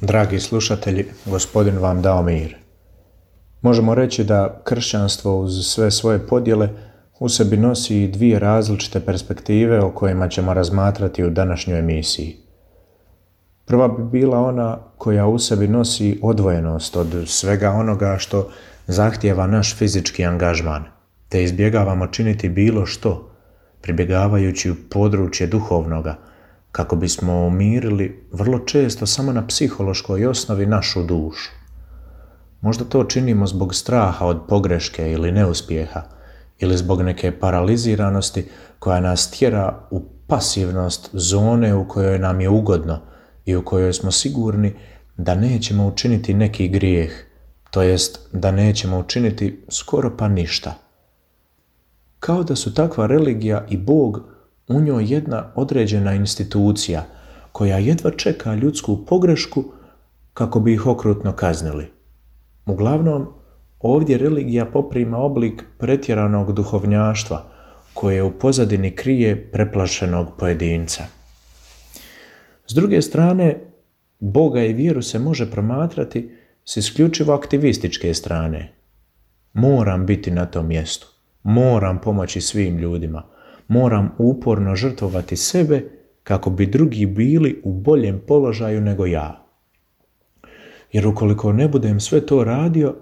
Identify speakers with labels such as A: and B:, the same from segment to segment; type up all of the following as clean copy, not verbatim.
A: Dragi slušatelji, Gospodin vam dao mir. Možemo reći da kršćanstvo uz sve svoje podjele u sebi nosi dvije različite perspektive o kojima ćemo razmatrati u današnjoj emisiji. Prva bi bila ona koja u sebi nosi odvojenost od svega onoga što zahtijeva naš fizički angažman, te izbjegavamo činiti bilo što, pribjegavajući u područje duhovnoga, kako bismo umirili vrlo često samo na psihološkoj osnovi našu dušu. Možda to činimo zbog straha od pogreške ili neuspjeha, ili zbog neke paraliziranosti koja nas tjera u pasivnost zone u kojoj nam je ugodno i u kojoj smo sigurni da nećemo učiniti neki grijeh, to jest da nećemo učiniti skoro pa ništa. Kao da su takva religija i Bog u njoj jedna određena institucija koja jedva čeka ljudsku pogrešku kako bi ih okrutno kaznili. Uglavnom, ovdje religija poprima oblik pretjeranog duhovnjaštva koje u pozadini krije preplašenog pojedinca. S druge strane, Boga i vjeru se može promatrati s isključivo aktivističke strane. Moram biti na tom mjestu, moram pomoći svim ljudima, moram uporno žrtvovati sebe kako bi drugi bili u boljem položaju nego ja. Jer ukoliko ne budem sve to radio,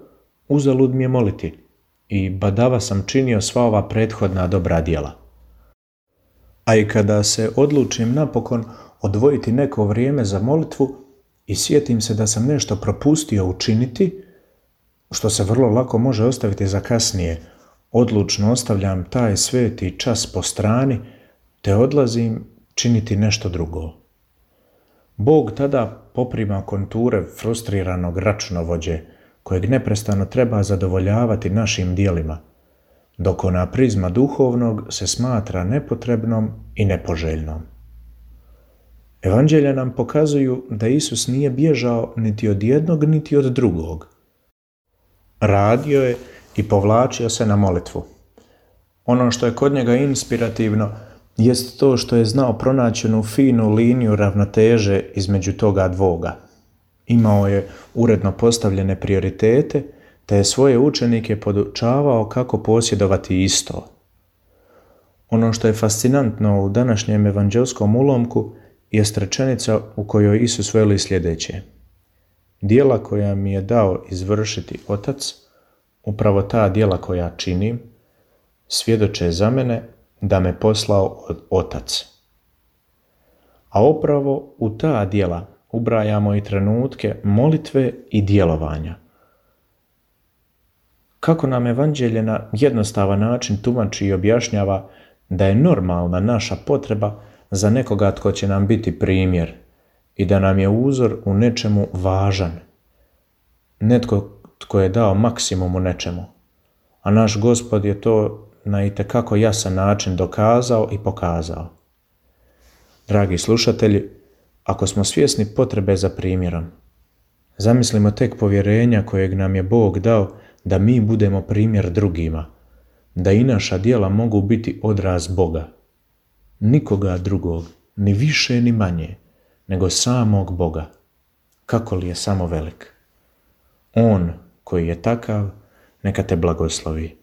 A: uzalud mi je moliti i badava sam činio sva ova prethodna dobra djela. A i kada se odlučim napokon odvojiti neko vrijeme za molitvu i sjetim se da sam nešto propustio učiniti, što se vrlo lako može ostaviti za kasnije, odlučno ostavljam taj sveti čas po strani te odlazim činiti nešto drugo. Bog tada poprima konture frustriranog računovođe kojeg neprestano treba zadovoljavati našim djelima, dok ona prizma duhovnog se smatra nepotrebnom i nepoželjnom. Evanđelja nam pokazuju da Isus nije bježao niti od jednog niti od drugog. Radio je i povlačio se na molitvu. Ono što je kod njega inspirativno jest to što je znao pronaći onu finu liniju ravnoteže između toga dvoga. Imao je uredno postavljene prioritete, te je svoje učenike podučavao kako posjedovati isto. Ono što je fascinantno u današnjem evanđelskom ulomku jest rečenica u kojoj Isus veli sljedeće: djela koja mi je dao izvršiti Otac, upravo ta djela koja činim, svjedoče za mene da me poslao Otac. A upravo u ta djela ubrajamo i trenutke molitve i djelovanja. Kako nam Evanđelje na jednostavan način tumači i objašnjava da je normalna naša potreba za nekoga tko će nam biti primjer i da nam je uzor u nečemu važan. Netko tko je dao maksimum u nečemu, a naš Gospod je to na itekako jasan način dokazao i pokazao. Dragi slušatelji, ako smo svjesni potrebe za primjerom, zamislimo tek povjerenja kojeg nam je Bog dao da mi budemo primjer drugima, da i naša djela mogu biti odraz Boga. Nikoga drugog, ni više ni manje, nego samog Boga. Kako li je samo velik? On koji je takav, neka te blagoslovi.